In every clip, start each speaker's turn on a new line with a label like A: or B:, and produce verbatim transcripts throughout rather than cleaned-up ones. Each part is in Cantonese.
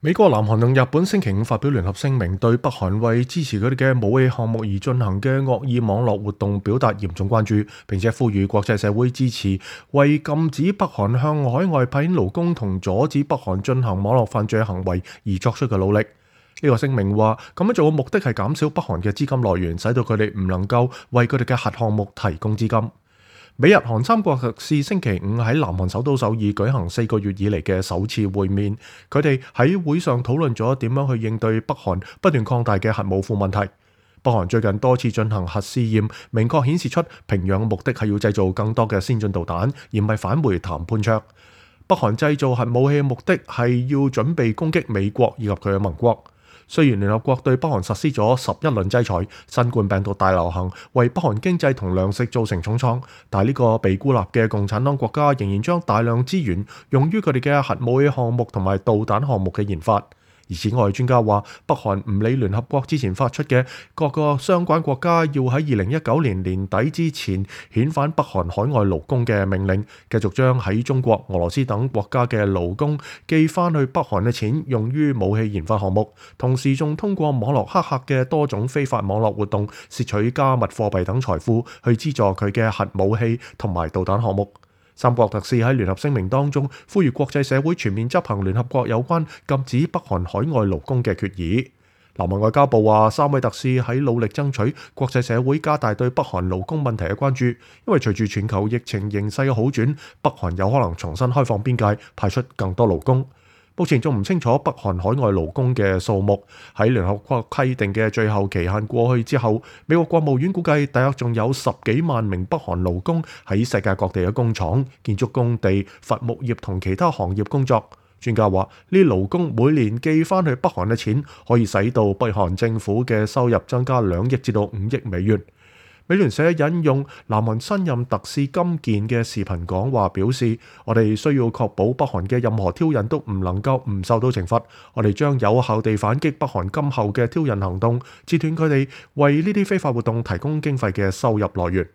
A: 美國、南韓同日本星期五發表聯合聲明，對北韓為支持佢哋嘅武器項目而進行嘅惡意網絡活動表達嚴重關注，並且呼籲國際社會支持為禁止北韓向海外派遣勞工同阻止北韓進行網絡犯罪行為而作出嘅努力。呢個聲明話，咁樣做嘅目的係減少北韓嘅資金來源，使到佢哋唔能夠為佢哋嘅核項目提供資金。美日韓三國特使星期五喺南韓首都首爾舉行四個月以嚟嘅首次會面，佢哋喺會上討論咗點樣去應對北韓不斷擴大嘅核武庫問題。北韓最近多次進行核試驗，明確顯示出平壤嘅目的係要製造更多嘅先進導彈，而唔係返回談判桌。北韓製造核武器嘅目的係要準備攻擊美國以及佢嘅盟國。雖然聯合國對北韓實施咗十一輪制裁，新冠病毒大流行為北韓經濟同糧食造成重創，但係呢個被孤立嘅共產黨國家仍然將大量資源用於佢哋嘅核武器項目同埋導彈項目嘅研發。而此外，專家話北韓唔理聯合國之前發出嘅各個相關國家要喺二零一九年年底之前遣返北韓海外勞工嘅命令，繼續將喺中國、俄羅斯等國家嘅勞工寄翻去北韓嘅錢用於武器研發項目，同時仲通過網絡黑客嘅多種非法網絡活動竊取加密貨幣等財富去資助佢嘅核武器同埋導彈項目。三國特使喺聯合聲明當中呼籲國際社會全面執行聯合國有關禁止北韓海外勞工嘅決議。南韓外交部話，三位特使喺努力爭取國際社會加大對北韓勞工問題嘅關注，因為隨住全球疫情形勢嘅好轉，北韓有可能重新開放邊界，派出更多勞工。目前仲唔清楚北韓海外勞工嘅數目。喺聯合國規定嘅最後期限過去之後，美國國務院估計大約仲有十幾萬名北韓勞工喺世界各地嘅工廠、建築工地、伐木業同其他行業工作。專家話，呢啲勞工每年寄翻去北韓嘅錢，可以使到北韓政府嘅收入增加兩億至到五億美元。美聯社引用南韓新任特使金健嘅視頻講話表示，我哋需要確保北韓嘅任何挑釁都唔能夠唔受到懲罰，我哋將有效地反擊北韓今後嘅挑釁行動，截斷佢哋為呢啲非法活動提供經費嘅收入來源。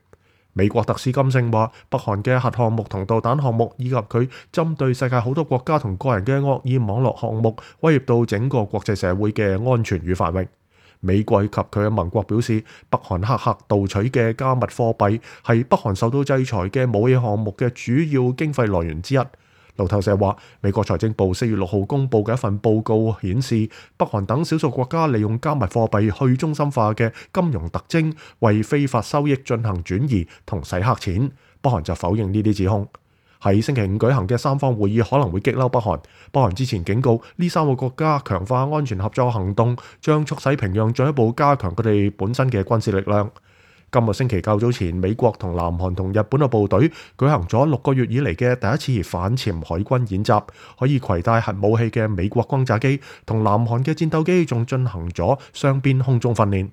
A: 美國特使金正話，北韓嘅核項目同導彈項目以及佢針對世界好多國家同個人嘅惡意網絡項目，威脅到整個國際社會嘅安全與繁榮。美國及佢嘅盟國表示，北韓黑客盜取嘅加密貨幣係北韓受到制裁嘅武器項目嘅主要經費來源之一。路透社話，美國財政部四月六號公佈嘅一份報告顯示，北韓等少數國家利用加密貨幣去中心化嘅金融特徵，為非法收益進行轉移同洗黑錢。北韓就否認呢啲指控。喺星期五舉行嘅三方會議可能會激嬲北韓。北韓之前警告呢三個國家強化安全合作行動，將促使平壤進一步加強佢哋本身嘅軍事力量。今個星期較早前，美國同南韓同日本嘅部隊舉行咗六個月以嚟嘅第一次反潛海軍演習，可以攜帶核武器嘅美國轟炸機同南韓嘅戰鬥機仲進行咗雙邊空中訓練。